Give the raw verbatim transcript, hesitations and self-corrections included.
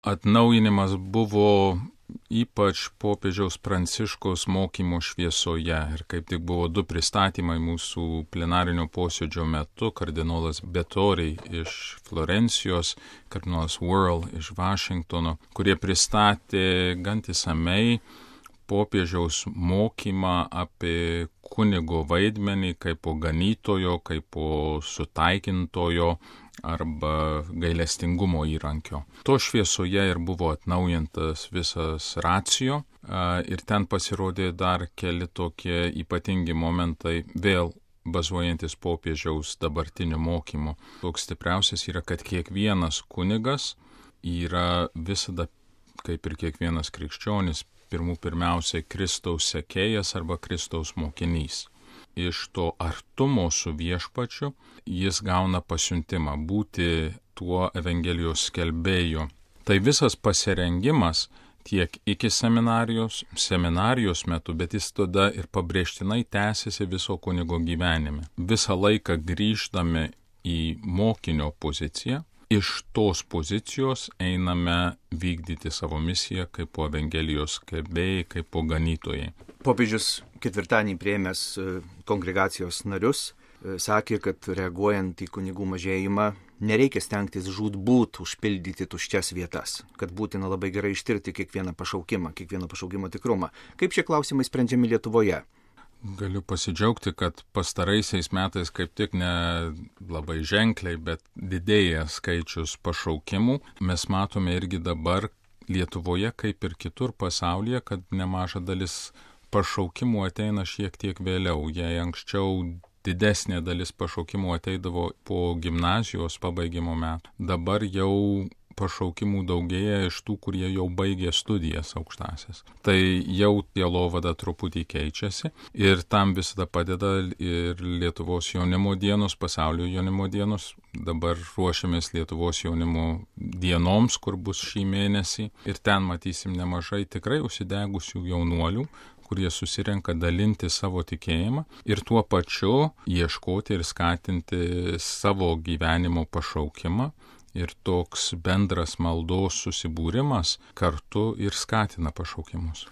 atnaujinimas buvo ypač popiežiaus Pranciškaus mokymo šviesoje. Ir kaip tik buvo du pristatymai mūsų plenarinio posėdžio metu. Kardinolas Betori iš Florencijos, kardinolas Worrell iš Vašingtono, kurie pristatė gan išsamiai popiežiaus mokymą apie kunigo vaidmenį kaip po ganytojo, kaip po sutaikintojo arba gailestingumo įrankio. To šviesoje ir buvo atnaujintas visas racijo ir ten pasirodė dar keli tokie ypatingi momentai, vėl bazuojantis popiežiaus dabartiniu mokymu. Toks stipriausias yra, kad kiekvienas kunigas yra visada, kaip ir kiekvienas krikščionis, pirmų pirmiausiai Kristaus sekėjas arba Kristaus mokinys. Iš to artumo su viešpačiu jis gauna pasiuntimą būti tuo Evangelijos skelbėju. Tai visas pasirengimas tiek iki seminarijos, seminarijos metu, bet jis tada ir pabrėžtinai tęsiasi viso kunigo gyvenime. Visą laiką grįždami į mokinio poziciją, iš tos pozicijos einame vykdyti savo misiją kaip po Evangelijos skelbėjai, kaip po ganytojai. Popiežius ketvirtadienį priėmęs kongregacijos narius sakė, kad reaguojant į kunigų mažėjimą nereikia stengtis žūtbūt užpildyti tuščias vietas, kad būtina labai gerai ištirti kiekvieną pašaukimą, kiekvieno pašaukimo tikrumą. Kaip šie klausimai sprendžiami Lietuvoje? Galiu pasidžiaugti, kad pastaraisiais metais kaip tik ne labai ženkliai, bet didėja skaičius pašaukimų. Mes matome irgi dabar Lietuvoje, kaip ir kitur pasaulyje, kad nemaža dalis pašaukimų ateina šiek tiek vėliau. Jei anksčiau didesnė dalis pašaukimų ateidavo po gimnazijos pabaigimo metų, dabar jau pašaukimų daugėja iš tų, kurie jau baigė studijas aukštasias. Tai jau sielovada truputį keičiasi ir tam visada padeda ir Lietuvos jaunimo dienos, pasaulio jaunimo dienos. Dabar ruošiamės Lietuvos jaunimo dienoms, kur bus šį mėnesį. Ir ten matysim nemažai tikrai užsidegusių jaunuolių, kurie susirenka dalinti savo tikėjimą ir tuo pačiu ieškoti ir skatinti savo gyvenimo pašaukimą. Ir toks bendras maldos susibūrimas kartu ir skatina pašaukimus.